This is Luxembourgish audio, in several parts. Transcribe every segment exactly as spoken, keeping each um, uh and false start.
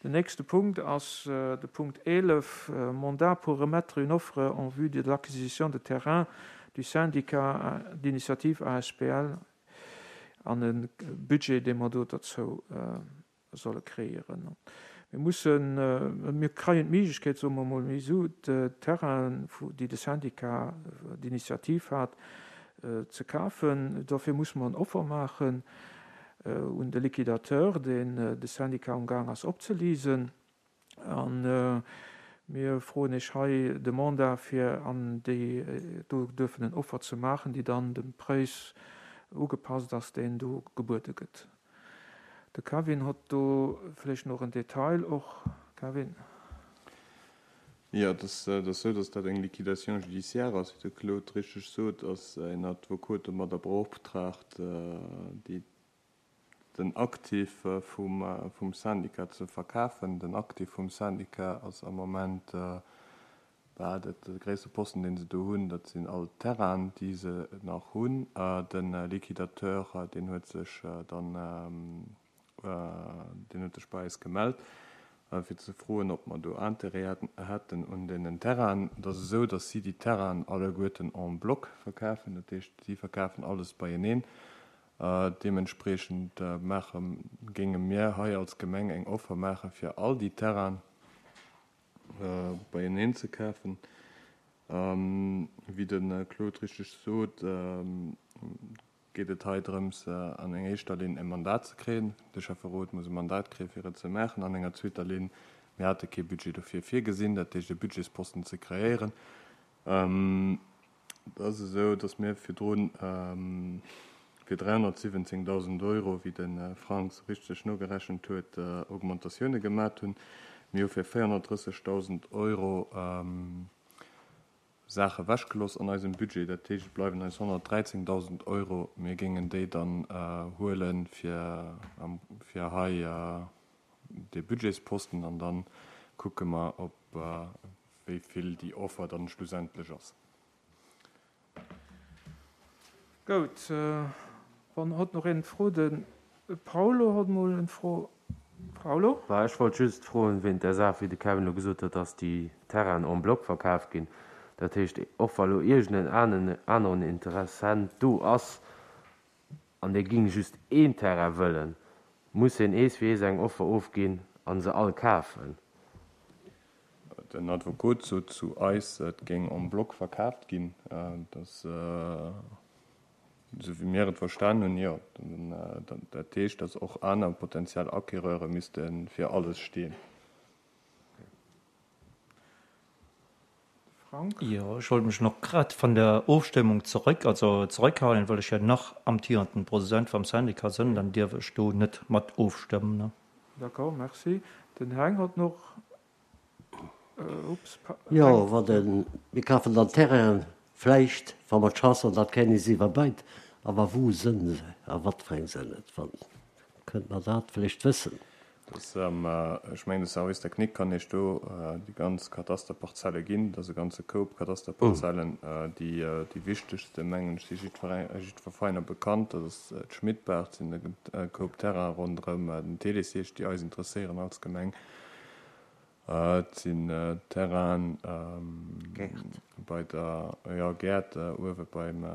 Den nächste Punkt ass de Punkt eelef, Mandat pour remettre une offre en vue de l'acquisition de terrains du syndicat d'initiative A S B L an e Budget, dee mer do derzou solle kreéieren. Mir mussen, mir kreien d'Méiglechkeet, soe mer emol méi esou, d'Terrainen, déi de Syndicat d'initiative hat, ze kafen. Dofir musse mer en Offer maachen un de Liquidateur, deen de Syndicat amgaang ass opzeliesen. A mir froen Iech hei de Mandat, fir an déi do duerfen en Offer ze maachen, déi dann dem Präis ugepasst ass, deen do gebuede gëtt. De Kevin hott do vläicht nach en Detail och. Kevin? Jo, et ass esou, datt dat eng Liquidation judiciaire ass, wéi de Claude richteg sot, ass en Advokot domadder beoptraagt, déi den Aktiv vum vum Syndicat ze verkafen. Den Aktiv vum Syndicat ass am Moment, bah, dat de gréisste Posten, dee se do hunn, dat sinn all d'Terrainen, déi se nach hunn. De Liquidateur, deen huet sech dann, deen huet sech bei eis gemellt, fir ze froen, ob mer do Intérêt hätten un deenen Terrainen. Et ass esou, datt si déi Terrainen alleguerten en bloc verkafen, dat heescht, si verkafen alles beieneen. Deementspreechend maache géinge mir hei als Gemeng eng Offer maache fir all déi Terrainen beieneen ze kafen. Wéi de Claude richteg sot, geet et hei drëms, an enger éischter Linn e Mandat ze kréien. De Schäfferot muss e Mandat kréien, fir et ze maachen. An enger zweeter Linn, mir hate kee Budget dofir virgesinn, dat heescht e Budgetsposten ze kreéieren. Et ass esou, datt mir virdru fir dräihonnertsiwwenzéngdausend Euro, wéi de Frank richteg nogerechent huet, Augmentatioune gemat hunn. Mir hu fir véierhonnertdrëssegdausend Euro Saache wechgelooss an eisem Budget. Dat heescht, et bleiwen eis honnertdräizéngdausend Euro. Mir géingen déi dann huele fir fir hei dee Budgetsposten an da kucke mer, ob wéi vill déi Offer dann schlussendlech ass. Goud, wann hott nach een Fro, de Paulo hott mol en Fro. Paulo? Bah, ech wollt just froen, wéint där Saach, wéi de Kevin elo gesot huet, dass déi Terrainen en bloc verkaf ginn. Dat heescht, och wa lo iergend en aneren Interessent do ass an dee géing just een Terrain wëllen, muss hien ees fir ees eng Offer ofginn a se all kafen? Den Advokot sot zu eis, et géing en bloc verkaaft ginn. Dass, esou wéi mir et verstan hunn, jo. Dat heescht, dass och aner potentiell Acquéreure misste fir alles stinn. Frank? Jo, ech wollt mech nach grad van der Ofstëmmung zeréck, also zeréckhalen, well ech jo nach amtierenden President vam Syndicat sënn, dann dierf ech do net mat ofstëmmen, ne. D'accord, merci. Den Heng hott noch, ups, Jo, Heng. Wann de, mir kafen dann Terrainen, vläicht, wa mer d'Chance hunn, dat kréien is iwwerbeit, awer wou sënn se a wat fir eng sënn et? Wann, kënnt mer dat vläicht wëssen? Dass, ech mengen, de Service technique kann Iech do déi ganz Katasterparzelle ginn. Dat ass e ganze Koup Katasterparzellen. Déi, déi wichtegste, mengen ech, si jiddwer, jiddwer Veräiner bekannt. Dat ass d'Schmidbaach, dat sinn e Koup Terrainen ronderëm den Télésiège, déi eis interesséieren als Gemeng. Et sinn Terrainen bei der, jo, Gäert uewe beim,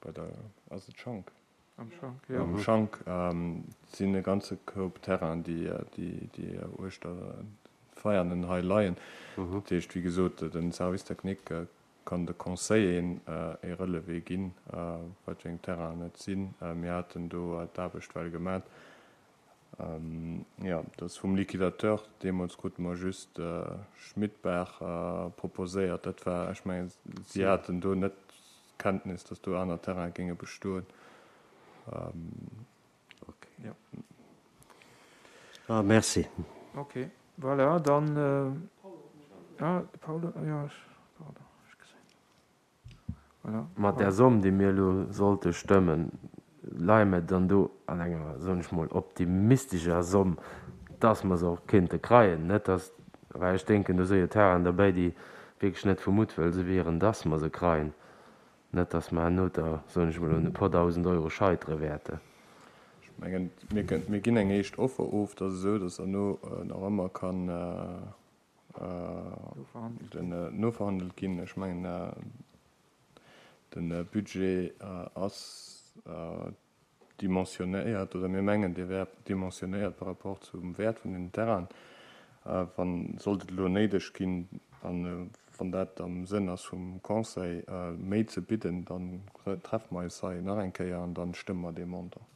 bei der, ass et Schank? Am Schank, jo. Am Schank sinn e ganze Koup Terrainen, déi, déi uechter Veianen hei leien. Dat heescht, wéi gesot, de Service technique kann de Conseilleren e Relevé ginn, wat fir eng Terrainen et sinn. Mir haten do d'Aarbecht well gemat. Jo, dat ass vum Liquidateur. Deemools krute mer just Schmidbaach proposéiert. Dat war, ech mengen, si haten do net Kenntnis, datt do aner Terraine géinge bestoen. Ok. Jo. Ah, merci. Ok, voilà, dann, ah, de Paolo, jo, ech, pardon, ech gesinn. Voilà. Mat där Somm, déi mir elo sollte stëmmen, leie mir dann do an enger, soen ech mol, optimistescher Somm, dass mer se och kéinte kreien. Net dass, well ech denken, do si jo Terrainen derbäi, déi wierklech net vu Muttwëll se wieren, dass mer se kreien. Net dass mer herno da, soen ech mol, un e puer Dausend Euro scheitere wäerten. Ech Mengen, mir, mir ginn eng éischt Offer of, dat ass esou, datt herno nach ëmmer kann den noverhandelt ginn. Ech mengen, de Budget ass dimensionéiert, oder mir mengen, dee wär dimensionéiert par rapport zum Wäert vun den Terrainen. Wann, sollt et elo néideg ginn, an wann dat am Sënn ass vum Conseil, méi ze bidden, dann treffe mer eis hei nach eng Kéier an dann stëmme mer dee Montant.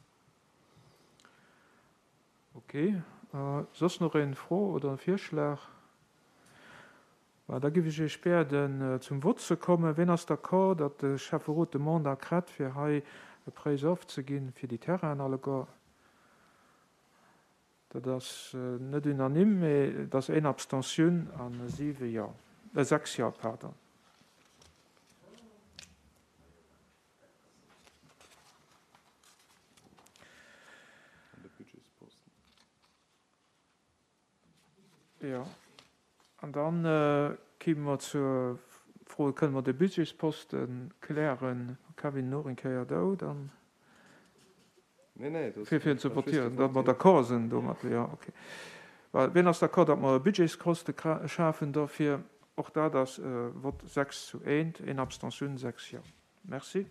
Ok. Soss nach eng Fro oder e Virschlag? Well da giff ech Iech bieden, zum Vott ze kommen. Ween ass d'accord, datt de Schäfferot de Mandat kritt, fir hei e Präis ofzeginn fir déi Terrainen alleguer? Dat ass net unanime, mee et ass een Abstentioun a siwe Jo, sechs Jo, pardon. Jo, an dann kime mer zur Fro, kënne mer de Budgetsposte klären? Kevin, nach eng Kéier do, dann. Nee, nee, dat Fir, fir ze votieren, datt mer d'accord sinn domat, jo, okay. Well, wien ass d'accord, datt mer e Budgetskoste schafen dofir? Och dat ass Vott sechs zu eent, een Abstentioun, sechs Jo. Merci.